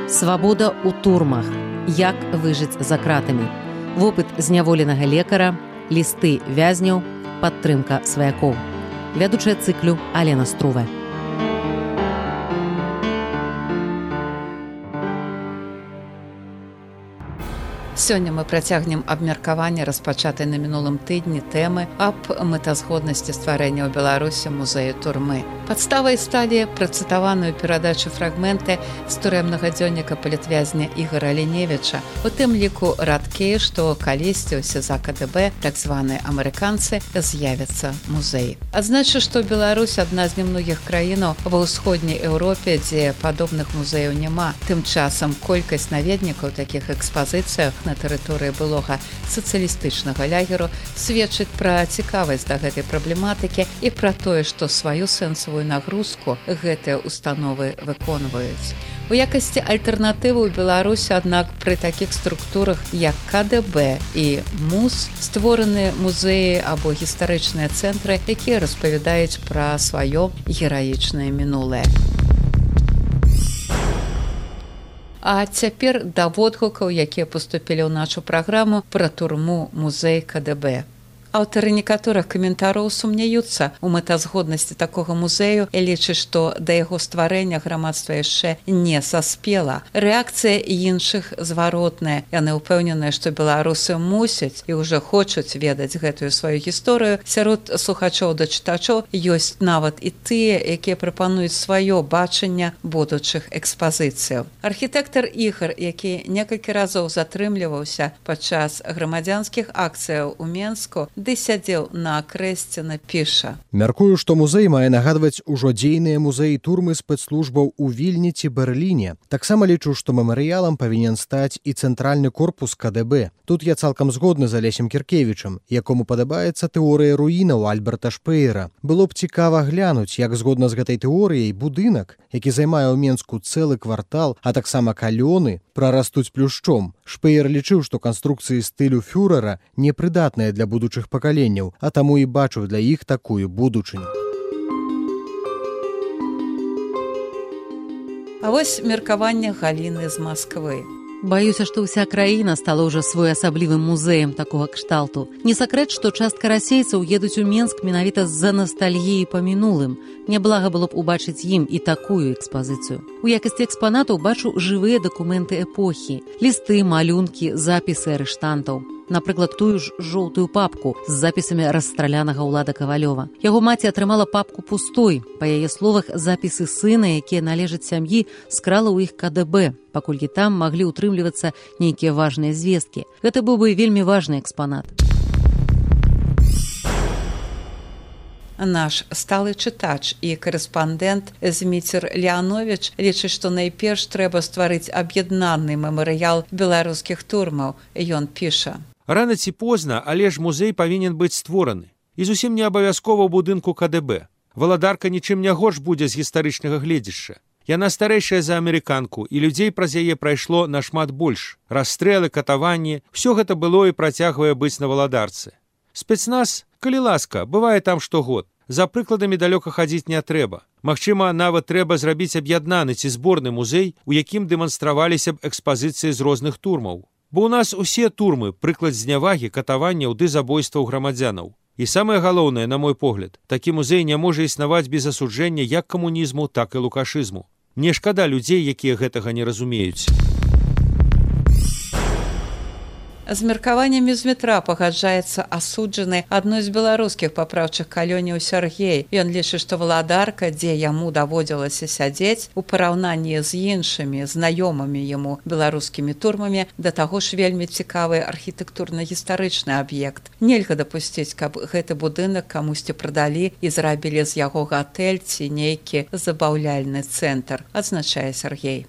Свабода ў турмах. Як выжыць за кратамі. Вопыт зняволенага лекара, лісты вязняў, падтрымка сваякоў. Вядучая цыклю Алена Струве. Сёння мы працягнем абмеркаванне распачатай на мінулым тыдні тэмы аб мэтазгоднасці стварэння ў Беларусі музею турмы. Падставай сталі працытаваную перадачу фрагменты з турэмнага дзённіка палітвязня Ігора Ліневіча, у тым ліку радкі, што калісьці ў СІЗА КДБ, так званыя амерыканцы, з'явяцца музеі. Адзначу, што Беларусь адна з немногіх краінаў ва ўсходняй Еўропе, дзе падобных музеяў няма. Тым часам колькасць наведнікаў такіх экспазіцыяў на тэрыторыі былога сацыялістычнага лягеру сведчыць пра цікавасць да гэтай праблематыкі і пра тое, што сваю сэнсавую нагрузку гэтыя установы выконваюць. У якасці альтэрнатывы ў Беларусі, аднак, пры такіх структурах, як КДБ і МУЗ, створаны музеі або гістарычныя цэнтры, якія распавядаюць пра сваё гераічнае мінулае. А цяпер да водгукаў, якія паступілі ў нашу праграму пра турму музей КДБ. Аўтары некаторых каментараў сумняюцца ў мэтазгоднасці такога музею і лічаць, што да яго стварэння грамадства яшчэ не саспела. Рэакцыя іншых зваротная. Яны ўпэўненыя, што беларусы мусяць і ўжо хочуць ведаць гэтую сваю гісторыю. Сярод слухачоў да чытачоў ёсць нават і тыя, якія прапануюць сваё бачанне будучых экспазіцыяў. Архітэктар Ігар, які некалькі разоў затрымліваўся падчас грамадзянскіх акцыяў у Менску, ды сядзеў на крэсце, напіша. Мяркую, што музей мае нагадваць ужо дзейныя музеі турмы спецслужбаў у Вільні ці Берліне. Таксама лічу, што мемарыялам павінен стаць і цэнтральны корпус КДБ. Тут я цалкам згодны з Алесем Кіркевічам, якому падабаецца тэорыя руінаў Альберта Шпеера. Было б цікава глянуць, як згодна з гэтай тэорыяй будынак, які займае ў Менску цэлы квартал, а таксама калёны, прарастуць плюшчом. Шпеер лічыў, што канструкцыі стылю фюрэра непрыдатныя для будучых пакаленняў, а таму і бачыў для іх такую будучыню. А вось меркаванне Галіны з Масквы. Баюся, што ўся краіна стала ўжо своеасаблівым музеем такога кшталту. Не сакрэт, што частка расейцаў едуць у Менск менавіта з-за настальгіі па мінулым. Няблага было б убачыць ім і такую экспазіцыю. У якасці экспанатаў бачу жывыя дакументы эпохі, лісты, малюнкі, запісы арыштантаў. Напрыклад, тую ж жоўтую папку з запісамі расстралянага Ўлада Кавалёва. Яго маці атрымала папку пустой. Па яе словах, запісы сына, якія належаць сям'і, скрала ў іх КДБ, паколькі там маглі ўтрымлівацца нейкія важныя звесткі. Гэта быў бы вельмі важны экспанат. Наш сталы чытач і корэспандэнт Зміцер Леанович лічыць, што найперш трэба стварыць аб'яднаны мемарыял беларускіх турмаў. Ён піша. Рана ці позна, але ж музей павінен быць створаны. І зусім не абавязкова ў будынку КДБ. Валадарка нічым не горш будзе з гістарычнага гледзяшча. Яна старэйшая за амерыканку, і людзей праз яе прайшло нашмат больш. Расстрэлы, катаванні, усё гэта было і працягвае быць на валадарцы. Спецназ, калі ласка, бывае там штогод. За прыкладамі далёка хадзіць не трэба. Магчыма, нават трэба зрабіць аб'яднаны ці зборны музей, у якім дэманстраваліся б экспазіцыі з розных турмаў. Бо ў нас усе турмы прыклад знявагі, катаванняў ды забойстваў грамадзянаў. І самае галоўнае, на мой погляд, такі музей не можа існаваць без асуджэння як камунізму, так і лукашызму. Мне шкада людзей, якія гэтага не разумеюць. З меркаваннямі з метра пагаджаецца асуджаны адной з беларускіх папраўчых калёніў Сяргей. Ён лічыць, што валадарка, дзе яму даводзілася сядзець, у параўнанні з іншымі знаёмымі яму беларускімі турмамі, да таго ж вельмі цікавы архітэктурна-гістарычны аб'ект. Нельга дапусціць, каб гэты будынак камусьці прадалі і зрабілі з яго гатэль ці нейкі забаўляльны цэнтр, адзначае Сяргей.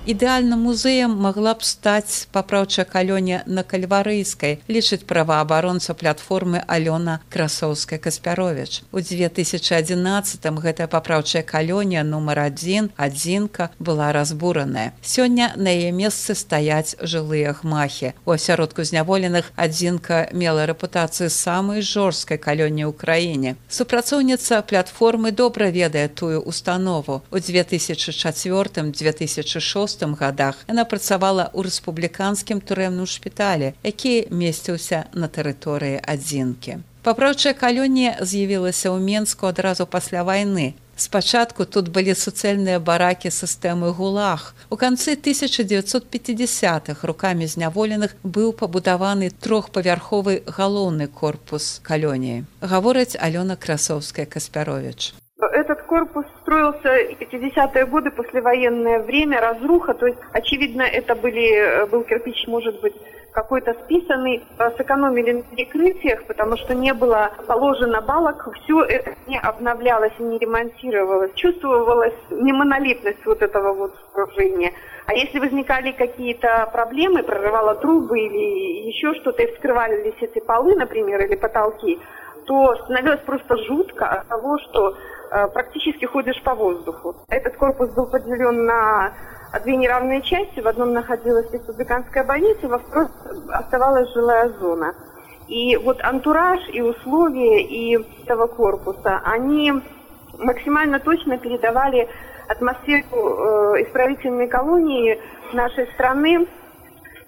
Ідэальным музеем магла б стаць папраўчая калонія на Кальварыйскай, лічыць праваабаронца платформы Алёна Красоўская-Каспяровіч. У 2011-м гэтая папраўчая калонія нумар 1, адзінка, была разбураная. Сёння на яе месцы стаяць жылыя гмахі. У асяродку зняволеных адзінка мела рэпутацыю самай жорсткай калоніі ў краіне. Супрацоўніца платформы добра ведае тую установу. У 2004-2006 годах яна працавала ў рэспубліканскім турэмным шпіталі, які месціўся на тэрыторыі адзінкі. Папраўчая калонія з'явілася ў Менску адразу пасля вайны. Спачатку тут былі суцэльныя баракі сістэмы ГУЛАГ. У канцы 1950-х рукамі зняволеных быў пабудаваны трохпавярховы галоўны корпус калоніі. Гаворыць Алёна Красоўская-Каспяровіч. Этот корпус строился в 50-е годы, послевоенное время, разруха, то есть, очевидно, это был кирпич, может быть, какой-то списанный. Сэкономили на перекрытиях, потому что не было положено балок, все это не обновлялось и не ремонтировалось. Чувствовалась немонолитность вот этого вот сооружения. А если возникали какие-то проблемы, прорывало трубы или еще что-то, и вскрывались эти полы, например, или потолки, то становилось просто жутко от того, что практически ходишь по воздуху. Этот корпус был поделен на две неравные части. В одном находилась республиканская больница, во второй оставалась жилая зона. И вот антураж и условия и этого корпуса, они максимально точно передавали атмосферу исправительной колонии нашей страны.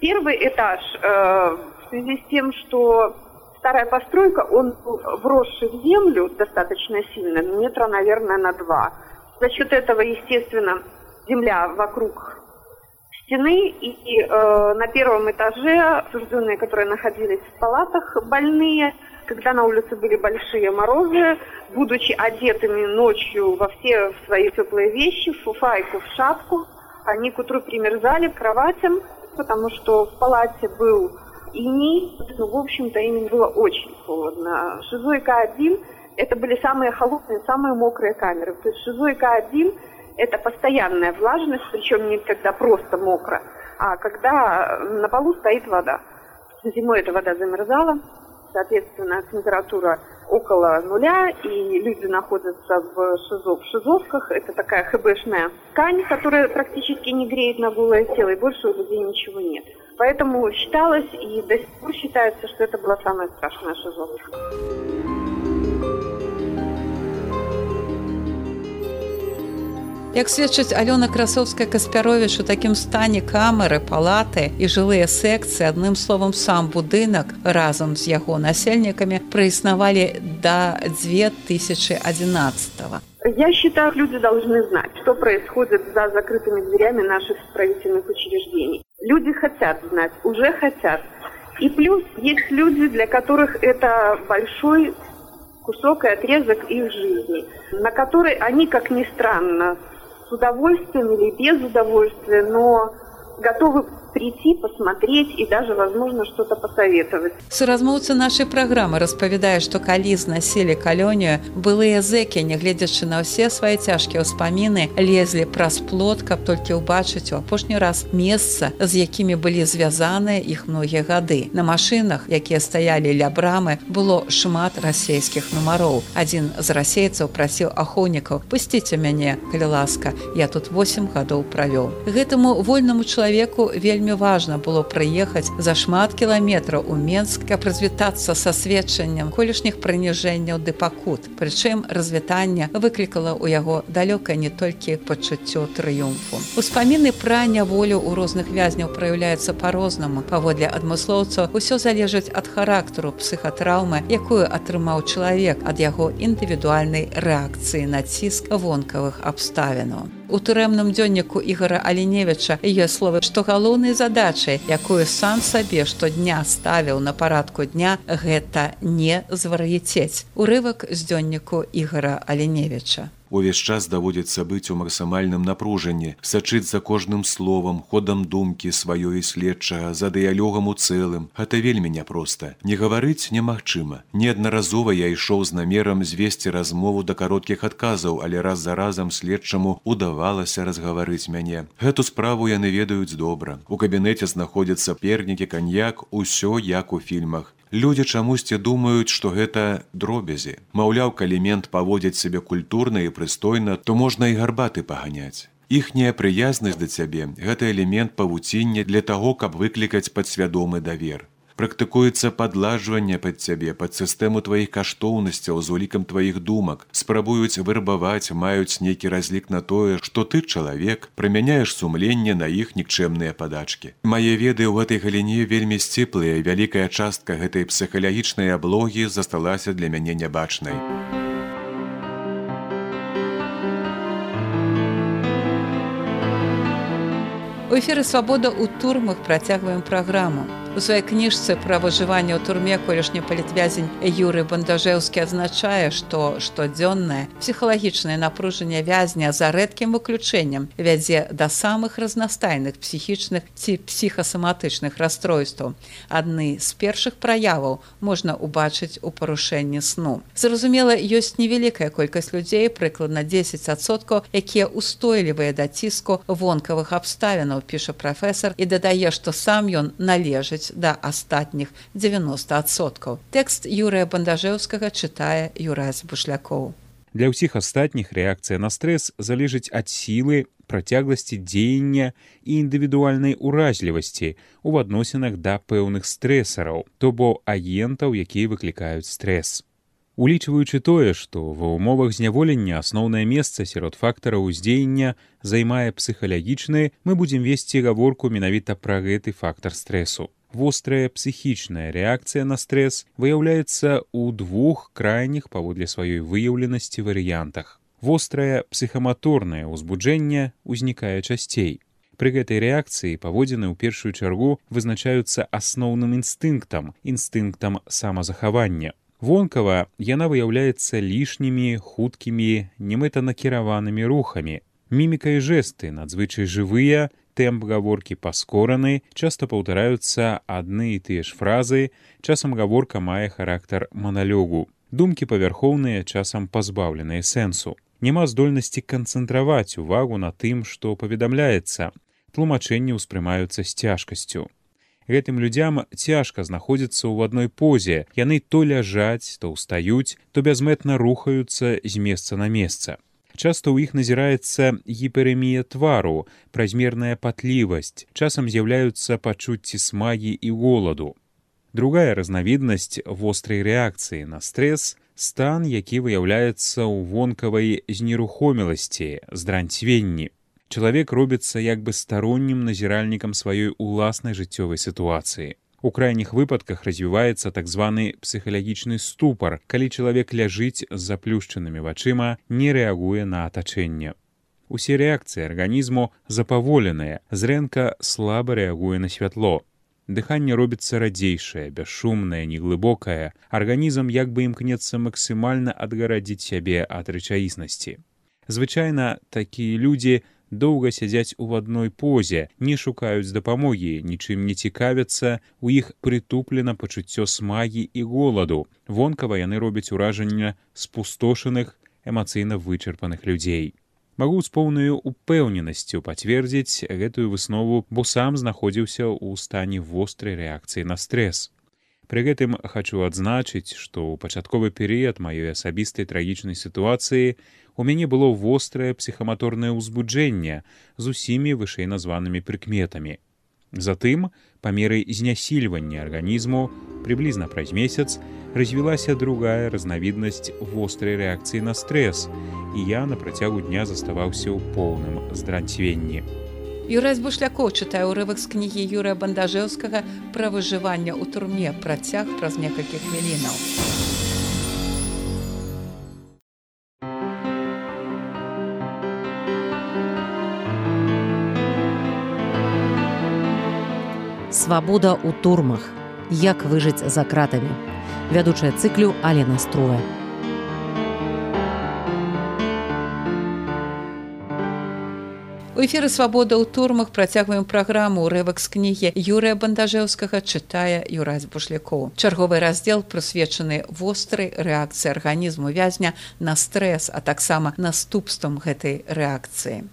Первый этаж, в связи с тем, что старая постройка, он вросший в землю достаточно сильно, метра, наверное, на 2. За счет этого, естественно, земля вокруг стены, и на первом этаже осужденные, которые находились в палатах, больные, когда на улице были большие морозы, будучи одетыми ночью во все свои теплые вещи, в фуфайку, в шапку, они к утру примерзали к кроватям, потому что в палате был иней, ну, в общем-то, им было очень холодно. ШИЗО и К1 это были самые холодные, самые мокрые камеры. То есть ШИЗО и К1 это постоянная влажность, причем не когда просто мокро, а когда на полу стоит вода. Зимой эта вода замерзала, соответственно, температура около нуля, и люди находятся в ШИЗО, в ШИЗОвках. Это такая ХБшная ткань, которая практически не греет на голое тело, и больше у людей ничего нет. Поэтому считалось, и до сих пор считается, что это была самая страшная ШИЗОвка. Як сведчыць Алёна Красоўская-Каспяровіч, у такім стане камеры, палаты і жылыя секцыі, адным словам, сам будынак разам з яго насельнікамі праіснавалі до 2011-го. Я считаю, люди должны знать, что происходит за закрытыми дверями наших исправительных учреждений. Люди хотят знать, уже хотят. И плюс есть люди, для которых это большой кусок и отрезок их жизни, на который они, как ни странно, с удовольствием или без удовольствия, но готовы прийти, посмотреть и даже, возможно, что-то посоветовать. Суразмоўца нашай праграмы распавядае, што калі знасілі калонію, былыя зэкі, нягледзячы на ўсе свае цяжкія ўспаміны, лезлі праз плот, каб толькі ўбачыць у апошні раз месца, з якімі былі звязаныя іх многія гады. На машынах, якія стаялі ля брамы, было шмат расейскіх нумароў. Адзін з расейцаў прасіў ахоўнікаў: «Пусціце мяне, калі ласка, я тут 8 гадоў правёў». Гэтаму вольнаму чалавеку вельмі важна было прыехаць за шмат кіламетраў у Менск, каб развітацца са сведчаннем колішніх прыніжэнняў ды пакут. Прычым развітанне выклікала ў яго далёкае не толькі пачуццё трыумфу. Успаміны пра няволю ў розных вязняў праяўляюцца па-рознаму. Паводле адмыслоўцаў, усё залежыць ад характару псіхатраўмы, якую атрымаў чалавек, ад яго індывідуальнай рэакцыі на ціск вонкавых абставінаў. У турэмным дзённіку Ігора Аліневіча ёсць словы, што галоўнай задачай, якую сам сабе штодня ставіў на парадку дня, гэта не звар'яцець. Урывак з дзённіку Ігора Аліневіча. Увесь час даводзіцца быць у максімальным напружанні, сачыць за кожным словам, ходам думкі сваёй і следчага, за дыялогам у цэлым. Гэта вельмі няпроста. Не гаварыць немагчыма. Неаднаразова я ішоў з намерам звесці размову да кароткіх адказаў, але раз за разам следчаму удавалася разгаварыць мяне. Гэту справу яны ведаюць добра. У кабінеце знаходзяцца пернікі, каньяк, усё як у фільмах. Людзі чамусьці думаюць, што гэта дробязі. Маўляў, калі мент паводзіць сябе культурна і прыстойна, то можна і гарбаты паганяць. Іхняя прыязнасць да цябе – гэта элемент павуціння для таго, каб выклікаць падсвядомы давер. Практыкуецца падладжванне пад цябе, пад сістэму тваіх каштоўнасцяў з улікам тваіх думак. Спрабуюць вырбаваць, маюць нейкі разлік на тое, што ты чалавек, прымяняеш сумленне на іх нікчэмныя падачкі. Мае веды ў гэтай галіне вельмі сціплыя, вялікая частка гэтай псіхалагічнай аблогі засталася для мяне нябачнай. У эфіры «Свабода» ў турмах працягваем праграму. У сваёй кніжцы пра выжыванне ў турме колішні палітвязень Юрый Бандажэўскі адзначае, што штодзённае псіхалагічнае напружанне вязня за рэдкім выключэннем вядзе да самых разнастайных псіхічных ці псіхасаматычных расстройстваў. Адны з першых праяваў можна ўбачыць у парушэнні сну. Зразумела, ёсць невялікая колькасць людзей, прыкладна 10%, якія устойлівыя да ціску вонкавых абставінаў, піша прафесар, і дадае, што сам ён належыць да астатніх 90%. Тэкст Юрыя Бандажэўскага чытае Юрась Бушлякоў. Для ўсіх астатніх рэакцыя на стрэс залежыць ад сілы, працягласці дзеяння і індывідуальнай уразлівасці ў адносінах да пэўных стрэсараў, то бо агентаў, якія выклікаюць стрэс. Улічваючы тое, што ва ўмовах зняволення асноўнае месца сярод фактараў уздзеяння займае псіхалагічны, мы будзем весці гаворку менавіта пра гэты фактар стрэсу. Вострая псіхічная рэакцыя на стрэс выяўляецца ў двух крайніх паводле сваёй выяўленасці варыянтах. Вострае псіхаматорнае ўзбуджэнне ўзнікае часцей. Пры гэтай рэакцыі паводзіны ў першую чаргу вызначаюцца асноўным інстынктам самазахавання. Вонкава яна выяўляецца лішнімі, хуткімі, немэтанакіраванымі рухамі. Міміка і жэсты надзвычай жывыя, тэмп гаворкі паскораны, часта паўтараюцца адны і тыя ж фразы, часам гаворка мае характар маналогу. Думкі павярхоўныя, часам пазбаўленыя сэнсу. Няма здольнасці канцэнтраваць увагу на тым, што паведамляецца. Тлумачэнні ўспрымаюцца з цяжкасцю. Гэтым людзям цяжка знаходзіцца ў адной позе. Яны то ляжаць, то ўстаюць, то бязмэтна рухаюцца з месца на месца. Часта ў іх назіраецца гіперэмія твару, празмерная патлівасць, часам з'яўляюцца пачуцці смагі і голаду. Другая разнавіднасць вострай рэакцыі на стрэс – стан, які выяўляецца ў вонкавай знерухоміласці, здранцвенні. Чалавек робіцца як бы староннім назіральнікам сваёй уласнай жыццёвай сітуацыі. У крайніх выпадках развіваецца так званы псіхалагічны ступар, калі чалавек ляжыць з заплюшчанымі вачыма, не рэагуе на атачэнне. Усе рэакцыі арганізму запаволеныя, зрэнка слаба рэагуе на святло. Дыханне робіцца радзейшае, бясшумнае, неглыбокае. Арганізм як бы імкнецца максімальна адгарадзіць сябе ад рэчаіснасці. Звычайна такія людзі доўга сядзяць у адной позе, не шукаюць дапамогі, нічым не цікавяцца, у іх притуплена пачуццё смагі і голаду. Вонкава яны робяць уражанне спустошаных, эмацыйна вычарпаных людзей. Магу з поўнаю упэўненасцю пацвердзіць гэтую выснову, бо сам знаходзіўся ў стане вострай рэакцыі на стрэс. Пры гэтым хачу адзначыць, што ў пачатковы перыяд маёй асабістай трагічнай сітуацыі у мяне было вострае псіхаматорнае ўзбуджэнне з усімі вышэй названымі прыкметамі. Затым, па меры знясільвання арганізму, прыблізна праз месяц, развілася другая разнавіднасць вострай рэакцыі на стрэс, і я на працягу дня заставаўся ў поўным здранцвенні. Юрась Бушлякоў чытае ўрывак з кнігі Юрыя Бандажэўскага пра выжыванне ў турме, працяг праз некалькі хвілінаў. Свабода ў турмах. Як выжыць за кратамі. Вядучая цыклю Алена Струя. У эфіры «Свабода ў турмах» працягваем праграму. Урывак з кнігі Юрыя Бандажэўскага чытае Юрась Бушлякоў. Чарговы раздзел прысвечаны вострай рэакцыі арганізму вязня на стрэс, а таксама наступствам гэтай рэакцыі.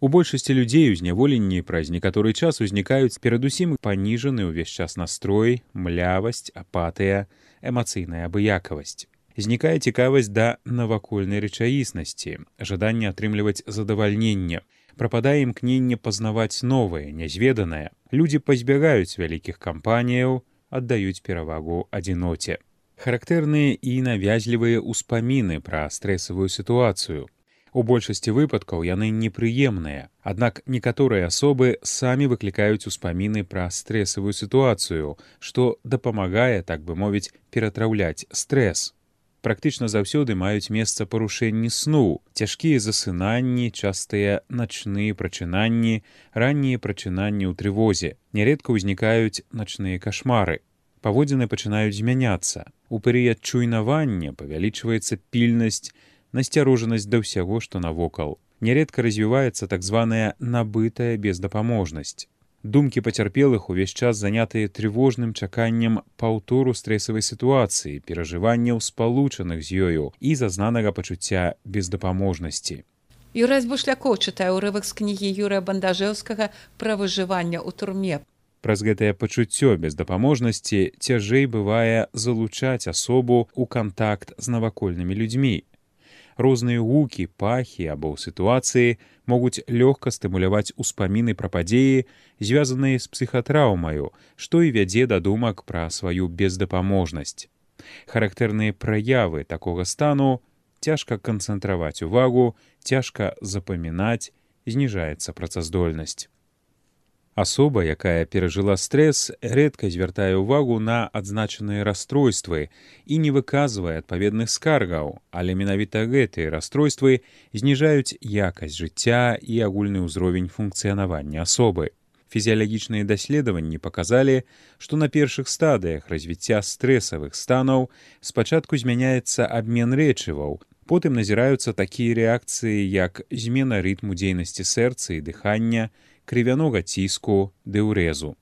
У большасці людзей у зняволенні праз некаторы час узнікаюць перадусім паніжаны ўвесь час настрой, млявасць, апатыя, эмацыйная абыякавасць. Знікае цікавасць да навакольнай рэчаіснасці, жаданне атрымліваць задавальненне. Прападае імкненне пазнаваць новае, нязведанае. Людзі пазбягаюць вялікіх кампаніяў, аддаюць перавагу адзіноце. Характэрныя і навязлівыя ўспаміны пра стрэсавую сітуацыю. У большасці выпадкаў яны непрыемныя, аднак некаторыя асобы самі выклікаюць успаміны пра стрэсавую сітуацыю, што дапамагае, так бы мовіць, ператраўляць стрэс. Практычна заўсёды маюць месца парушэнні сну, цяжкія засынанні, частыя начныя прачынанні, раннія прачынанні ў трывозе. Нярэдка ўзнікаюць начныя кашмары. Паводзіны пачынаюць змяняцца. У перыяд чуйнавання павялічваецца пільнасць, насцярожанасць да ўсяго, што навокал. Нярэдка развіваецца так званая набытая бездапаможнасць. Думкі пацярпелых увесь час занятыя трывожным чаканнем паўтору стрэсавай сітуацыі, перажыванняў спалучаных з ёю і зазнанага пачуцця бездапаможнасці. Юрась Бушлякоў чытае ўрывак з кнігі Юрыя Бандажэўскага пра выжыванне ў турме. Праз гэтае пачуццё бездапаможнасці цяжэй бывае залучаць асобу ў кантакт з навакольнымі людзьмі. Розныя гукі, пахі або сітуацыі могуць лёгка стымуляваць успаміны пра падзеі, звязаныя з псіхатраўмаю, што і вядзе да думак пра сваю бездапаможнасць. Характэрныя праявы такога стану — цяжка канцэнтраваць увагу, цяжка запамінаць, зніжаецца працаздольнасць. Асоба, якая перажыла стрэс, рэдка звяртае ўвагу на адзначаныя расстройствы і не выказвае адпаведных скаргаў, але менавіта гэтыя расстройствы зніжаюць якасць жыцця і агульны ўзровень функцыянавання асобы. Фізіялагічныя даследаванні паказалі, што на першых стадыях развіцця стрэсавых станаў спачатку змяняецца абмен рэчываў, потым назіраюцца такія рэакцыі, як змена рытму дзейнасці сэрца і дыхання, крывянога ціску, дэўрэзу.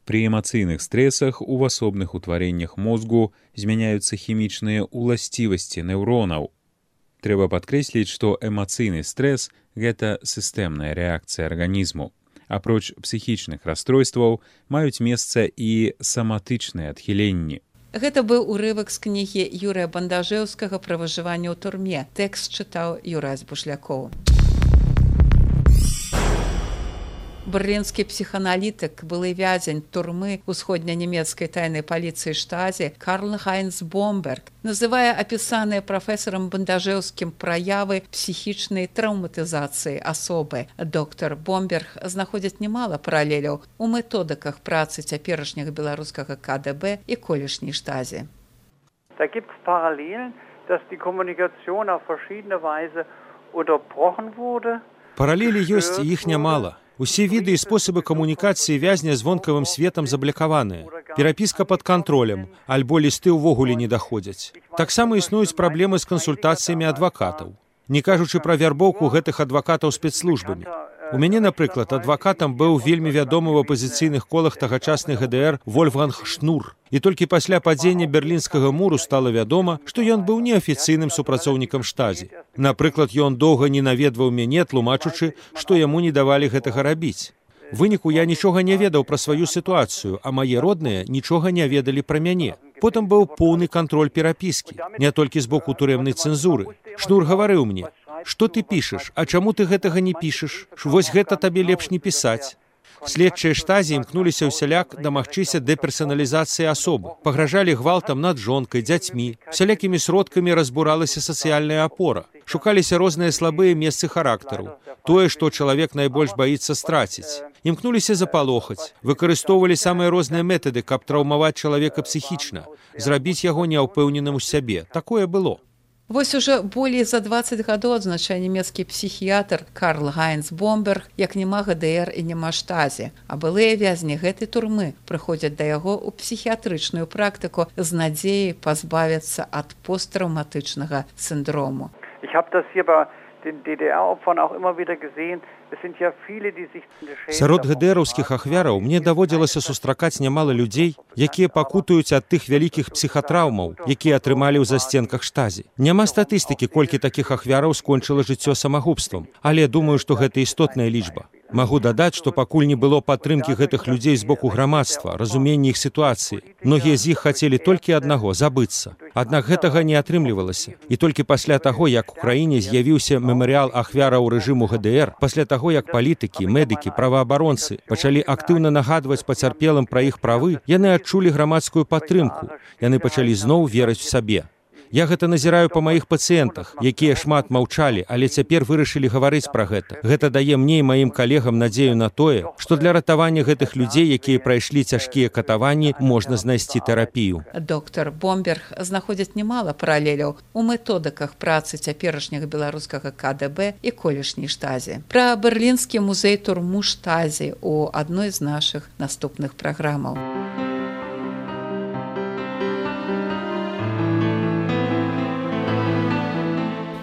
Пры эмацыйных стрэсах у асобных утварэннях мозгу змяняюцца хімічныя ўласцівасці неўронаў. Трэба падкрэсліць, што эмацыйны стрэс — гэта сістэмная рэакцыя арганізму. Апроч псіхічных расстройстваў маюць месца і саматычныя адхіленні. Гэта быў урывак з кнігі Юрыя Бандажэўскага пра выжыванне ў турме. Тэкст чытаў Юрась Бушлякоў. Берлінскі псіхааналітык, былы вязень турмы усходнянямецкай тайнай паліцыі Штази Карл-Хайнц Бомберг называе апісаныя прафесарам Бандажэўскім праявы псіхічнай траўматызацыі асобы. Доктар Бомберг знаходзіць немала паралеляў у методыках працы цяперашняга беларускага КДБ і колішняй Штази. Da gibt es Parallelen, dass die Kommunikation auf verschiedene Weise unterbrochen wurde. Паралелі ёсць, і іх нямала. Усе віды і спосабы камунікацыі вязня з вонкавым светам заблакаваныя. Перапіска пад кантролем, альбо лісты ўвогуле не даходзяць. Таксама існуюць праблемы з кансультацыямі адвакатаў. Не кажучы пра вярбоўку гэтых адвакатаў спецслужбамі. У мяне, напрыклад, адвакатам быў вельмі вядомы ў апазіцыйных колах тагачасны ГДР Вольфганг Шнур. І толькі пасля падзення Берлінскага муру стала вядома, што ён быў неафіцыйным супрацоўнікам Штази. Напрыклад, ён доўга не наведваў мяне, тлумачучы, што яму не давалі гэтага рабіць. У выніку я нічога не ведаў пра сваю сітуацыю, а мае родныя нічога не ведалі пра мяне. Потым быў поўны кантроль перапіскі, не толькі з боку турэмнай цэнзуры. Шнур гаварыў мне: «Што ты пішаш, а чаму ты гэтага не пішаш? Вось гэта табе лепш не пісаць». Следчыя Штази імкнуліся ўсяляк дамагчыся дэперсаналізацыі асобы, пагражалі гвалтам над жонкай, дзяцьмі, всялякімі сродкамі разбуралася сацыяльная апора, шукаліся розныя слабыя месцы характару, тое, што чалавек найбольш баіцца страціць. Імкнуліся запалохаць, выкарыстоўвалі самыя розныя метады, каб траўмаваць чалавека псіхічна, зрабіць яго няўпэўненым у сябе. Такое было. Вось уже болей за 20 гадоў адзначае нямецкі псіхіятр Карл-Хайнц Бомберг, як няма ГДР і няма Штази, а былыя вязні гэтай турмы прыходзяць да яго ў псіхіятрычную практыку з надзеяй пазбавіцца ад посттраўматычнага сіндрому. Ich habe das hier bei den DDR-Opfern auch immer wieder gesehen, es sind ja viele, die sich Сярод ГДРаўскіх ахвяраў мне даводзілася сустракаць нямала людзей, якія пакутаюць ад тых вялікіх псіхатраўмаў, якія атрымалі ў засценках штазі. Няма статыстыкі, колькі такіх ахвяраў скончыла жыццё самагубствам, але думаю, што гэта істотная лічба. Магу дадаць, што пакуль не было падтрымкі гэтых людзей з боку грамадства, разумення іх сітуацыі. Многія з іх хацелі толькі аднаго забыцца. Аднак гэтага не атрымлівалася. І толькі пасля таго, як у краіне з'явіўся мемарыял ахвяраў рэжыму ГДР, пасля таго, як палітыкі, медыкі, праваабаронцы пачалі актыўна нагадваць пацярпелым пра іх правы, яны адчулі грамадскую падтрымку. Яны пачалі зноў верыць у сабе. Я гэта назіраю па маіх пацыентах, якія шмат маўчалі, але цяпер вырашылі гаварыць пра гэта. Гэта дае мне і маім калегам надзею на тое, што для ратавання гэтых людзей, якія прайшлі цяжкія катаванні, можна знайсці тэрапію. Доктор Бомберг знаходзіць немала паралеляў у методыках працы цяперашняга беларускага КДБ і колішняй штазі. Пра берлінскі музей турму штазі у адной з нашых наступных праграмаў.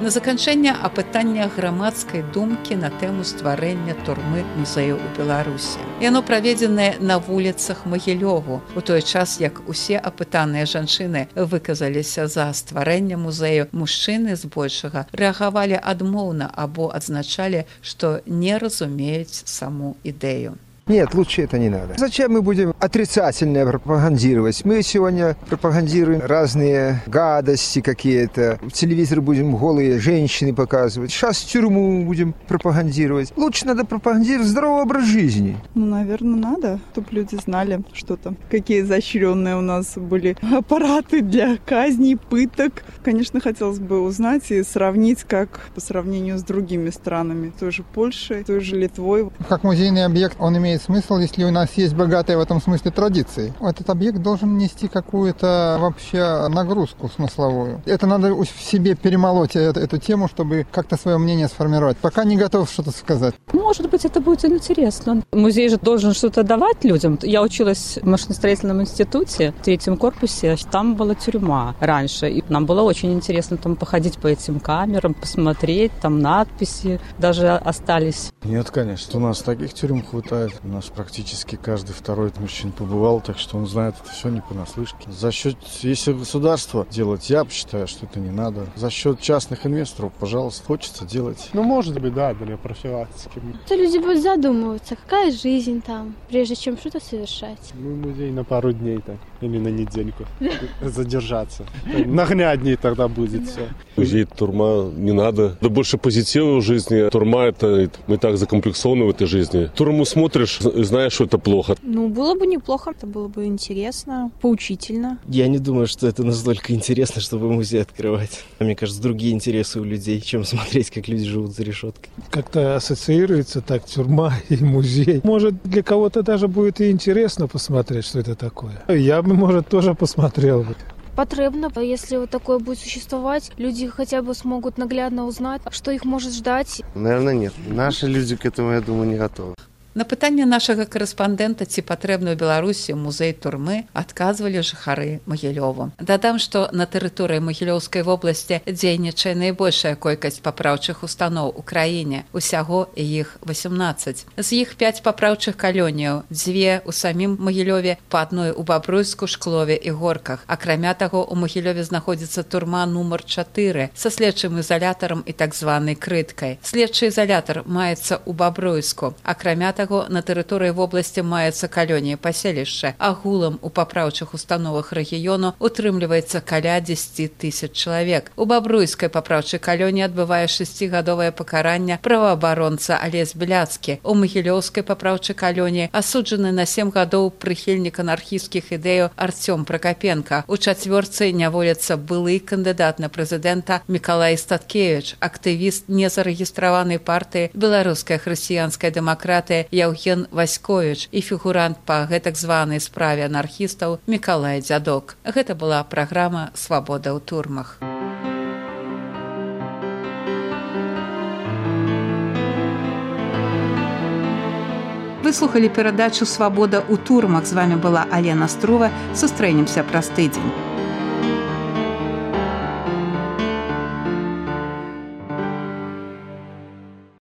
На заканчэнне апытання грамадскай думкі на тэму стварэння турмы музею ў Беларусі. Яно праведзенае на вуліцах Магілёву, у той час, як усе апытаныя жанчыны выказаліся за стварэнне музею, мужчыны збольшага рэагавалі адмоўна або адзначалі, што не разумеюць саму ідэю. Нет, лучше это не надо. Зачем мы будем отрицательно пропагандировать? Мы сегодня пропагандируем разные гадости какие-то. В телевизоре будем голые женщины показывать. Сейчас тюрьму будем пропагандировать. Лучше надо пропагандировать здоровый образ жизни. Ну, наверное, надо, чтобы люди знали, что там, какие изощренные у нас были аппараты для казней, пыток. Конечно, хотелось бы узнать и сравнить, как по сравнению с другими странами, той же Польшей, той же Литвой. Как музейный объект он имеет смысл, если у нас есть богатые в этом смысле традиции. Этот объект должен нести какую-то вообще нагрузку смысловую. Это надо в себе перемолоть эту тему, чтобы как-то свое мнение сформировать. Пока не готов что-то сказать. Может быть, это будет интересно. Музей же должен что-то давать людям. Я училась в машиностроительном институте в 3-м корпусе. Там была тюрьма раньше. И нам было очень интересно там походить по этим камерам, посмотреть, там надписи даже остались. Нет, конечно. У нас таких тюрем хватает. У нас практически каждый второй мужчина побывал, так что он знает это все не понаслышке. За счет, если государство делать, я считаю, что это не надо. За счет частных инвесторов, пожалуйста, хочется делать. Ну, может быть, да, для профилактики. То люди будут задумываться, какая жизнь там, прежде чем что-то совершать. Ну, музей на пару дней так, или на недельку задержаться. Наглядней тогда будет все. Музей, турма не надо. Да больше позитива в жизни. Турма это мы так закомплексованы в этой жизни. Турму смотришь, знаешь, что это плохо. Ну, было бы неплохо, это было бы интересно, поучительно. Я не думаю, что это настолько интересно, чтобы музей открывать. Мне кажется, другие интересы у людей, чем смотреть, как люди живут за решеткой. Как-то ассоциируется так тюрьма и музей. Может, для кого-то даже будет и интересно посмотреть, что это такое. Я бы, может, тоже посмотрел бы. Потребно, если вот такое будет существовать, люди хотя бы смогут наглядно узнать, что их может ждать. Наверное, нет. Наши люди к этому, я думаю, не готовы. На пытанне нашага карэспандэнта, ці патрэбны ў Беларусі музей турмы, адказвалі жыхары Магілёву. Дадам, што на тэрыторыі Магілёўскай вобласці дзейнічае найбольшая колькасць папраўчых устаноў у краіне. Усяго іх 18. З іх 5 папраўчых калоніяў, 2 у самім Магілёве, па адной у Бабруйску, Шклове і Горках. Акрамя таго, у Магілёве знаходзіцца турма нумар 4 са следчым ізалятарам і так званай крыткай. Следчы ізалятар маецца ў Бабруйску. Акрамя таго, на тэрыторыі вобласці маецца калонія паселішча. Агулам у папраўчых установах рэгіёну утрымліваецца каля 10 000 чалавек. У Бабруйскай папраўчай калоніі адбывае 6гадовае пакаранне праваабаронца Алесь Бляцкі. У Магілёўскай папраўчай калоніі асуджаны на 7 гадоў прыхільнік анархісцкіх ідэяў Арцём Пракапенка. У чацвёрцы няволіцца былы кандыдат на прэзідэнта Мікалай Статкевіч, актывіст незарэгістраванай партыі Беларуская хрысціянская дэмакратыя Яўген Васьковіч і фігурант па гэтак званай справе анархістаў Мікалай Дзядок. Гэта была праграма «Свабода ў турмах». Вы слухали перадачу «Свабода ў турмах». З вами была Алена Струва. Сустрэнемся праз тыдзень.